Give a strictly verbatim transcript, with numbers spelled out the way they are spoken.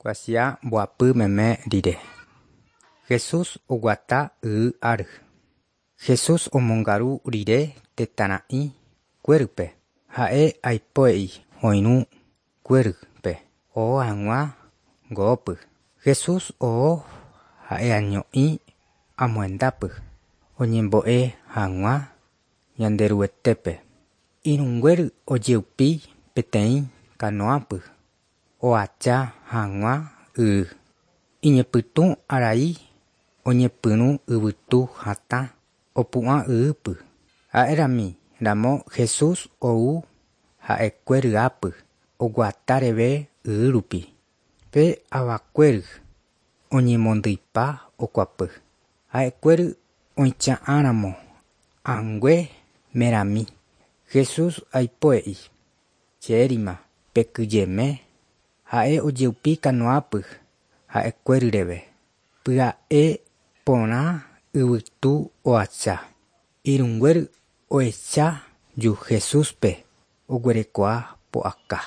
Kuatia mbohapy meme rire. Jesús oguata y áry. Jesús omongaru rire tetãra'i kuérype ha'e aipo'i oirũ kuérype oho hag̃ua go'ópy. Jesús oho ha'eño'i amohendápy oñembo'e hag̃ua Ñanderuetépe. Irũnguéry ojeupi peteĩ kanoápy ohacha hag̃ua y. Iñepytũ arai oñepyrũ yvytu hatã opu'ã yýpy. Ha'érami ramo Jesús ou ha'ekuéry'ápy oguatáreve y rupi. Pe avakuéry oñemondýipa okuapy. Ha'ekuéry oicha'ãramo angue merami. Jesús aipo'i chérima pekyhyjeme. Ha'e ojeupi kanoápy ha'ekuéryreve. Pya'e porã yvytu ohacha. Irũnguéry ohecha ju Jesúspe oguerekoha pu'aka.